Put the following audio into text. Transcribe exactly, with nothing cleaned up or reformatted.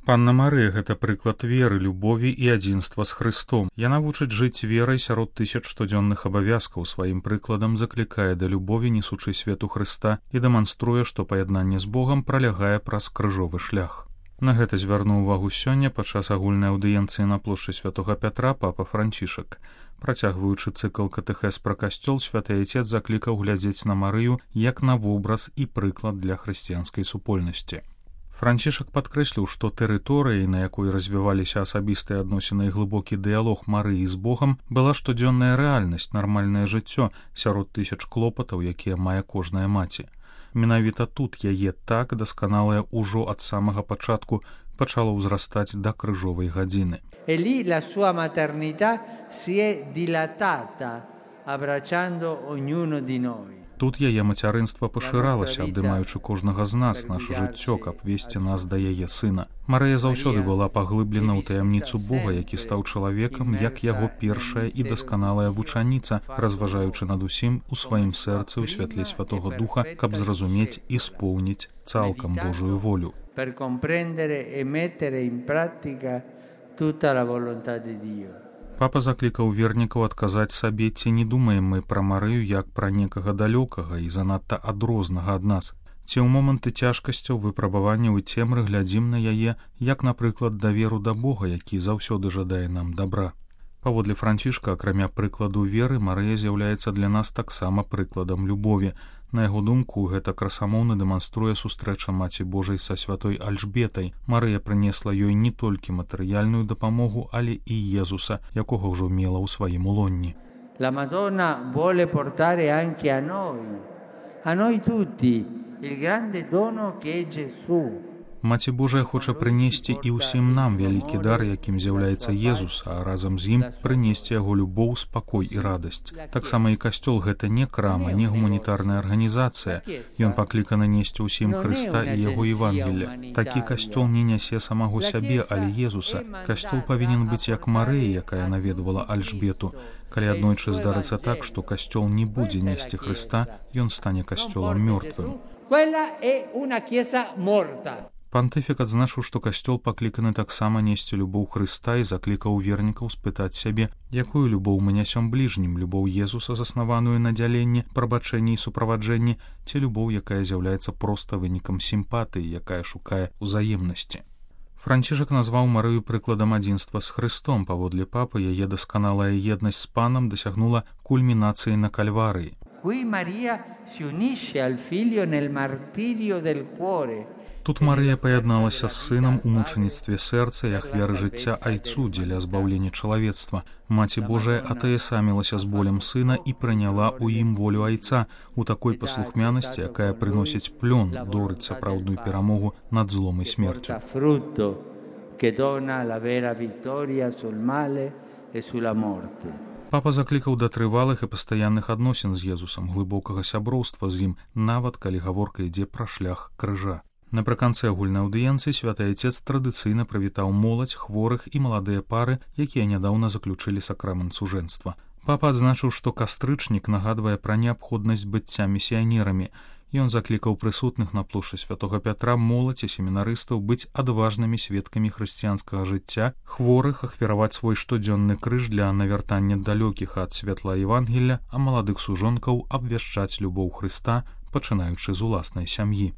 Панна Марыя — гэта прыклад веры, любові і адзінства з Хрыстом. Яна вучыць жыць верай сярод тысяч штодзённых абавязкаў, сваім прыкладам заклікае да любові, несучы свету Хрыста, і дэманструе, што паяднанне з Богам пралягае праз крыжовы шлях. На гэта звярнуў увагу сёння падчас агульнай аўдыенцыі на плошчы святога Пятра папа Францішак. Працягваючы цыкл катэхез пра касцёл, святы айцец заклікаў глядзець на Марыю як на вобраз і прыклад для хрысціянскай супольнасці. Францішак падкрэсліў, што тэрыторыяй, на якой развіваліся асабістыя адносіны і глыбокі дыялог Марыі з Богам, была штодзённая рэальнасць, нармальнае жыццё сярод тысяч клопатаў, якія мае кожная маці. Менавіта тут яе так дасканалая ўжо ад самага пачатку пачала ўзрастаць да крыжовай гадзіны. E lì la sua maternità si è dilatata, abbracciando ognuno di noi. Тут яе мацярынства пашыралася, абдымаючы кожнага з нас, наша жыццё, каб весці нас да яе сына. Марыя заўсёды была паглыблена ў таямніцу Бога, які стаў чалавекам, як яго першая і дасканалая вучаніца, разважаючы над усім у сваім сэрцы ў святле Святога Духа, каб зразумець і споўніць цалкам Божую волю. Per comprendere e mettere in pratica tutta la volontà di Dio. Папа заклікаў вернікаў адказаць сабе, ці не думаем мы пра Марыю як пра некага далёкага і занадта адрознага ад нас, ці ў моманты цяжкасцяў, выпрабаванняў і цемры глядзім на яе, як, напрыклад, даверу да Бога, які заўсёды жадае нам дабра. Паводле Францішка, акрамя прыкладу веры, Марыя з'яўляецца для нас таксама прыкладам любові. На яго думку, гэта красамоўна дэманструе сустрэча Маці Божай са святой Альжбетай. Марыя прынесла ёй не толькі матэрыяльную дапамогу, але і Езуса, якога ўжо мела ў сваім улонні. La Madonna vuole portare anche a noi, a noi tutti, il grande dono che è Gesù. Маці Божая хоча прынесці і ўсім нам вялікі дар, якім з'яўляецца Езус, а разам з ім прынесці яго любоў, спакой і радасць. Таксама і касцёл — гэта не крама, не гуманітарная арганізацыя. Ён пакліканы несці ўсім Хрыста і яго Евангелля. Такі касцёл не нясе самого сябе, але Езуса. Касцёл павінен быць як Марыя, якая наведвала Альжбету. Калі аднойчы здарыцца так, што касцёл не будзе несці Хрыста, ён стане касцёлам мёртвым. Пантыфік адзначыў, што касцёл пакліканы таксама несці любоў Хрыста і заклікаў вернікаў спытаць сябе, якую любоў мы нясём бліжнім, любоў Езуса, заснаваную на дзяленні, прабачэнні і суправаджэнні, ці любоў, якая з'яўляецца проста вынікам сімпатыі, якая шукае ўзаемнасці. Францішак назваў Марыю прыкладам адзінства з Хрыстом. Паводле папы, яе дасканалая еднасць з панам дасягнула кульмінацыі на Кальварыі. Qui Maria si unisce al figlio nel martirio del cuore. Тут Марыя паядналася з сынам у мучаніцтве сэрца і ахвяры жыцця айцу дзеля збаўлення чалавецтва. Маці Божая атаясамілася з болем сына і прыняла ў ім волю айца у такой паслухмянасці, якая прыносіць плён, дорыць сапраўдную перамогу над злом і смерцю. Папа заклікаў да трывалых і пастаянных адносін з Езусам, глыбокага сяброўства з ім, нават калі гаворка ідзе пра шлях крыжа. Напрыканцы агульнай аўдыенцыі святы айцец традыцыйна прывітаў моладзь, хворых і маладыя пары, якія нядаўна заключылі сакрамент сужэнства. Папа адзначыў, што кастрычнік нагадвае пра неабходнасць быцця місіянерамі. Ён заклікаў прысутных на плошчы святога Пятра моладзь і семінарыстаў быць адважнымі сведкамі хрысціянскага жыцця, хворых ахвяраваць свой штодзённы крыж для навяртання далёкіх ад святла Евангелля, а маладых сужонкаў абвяшчаць любоў Хрыста, пачынаючы з уласнай сям'і.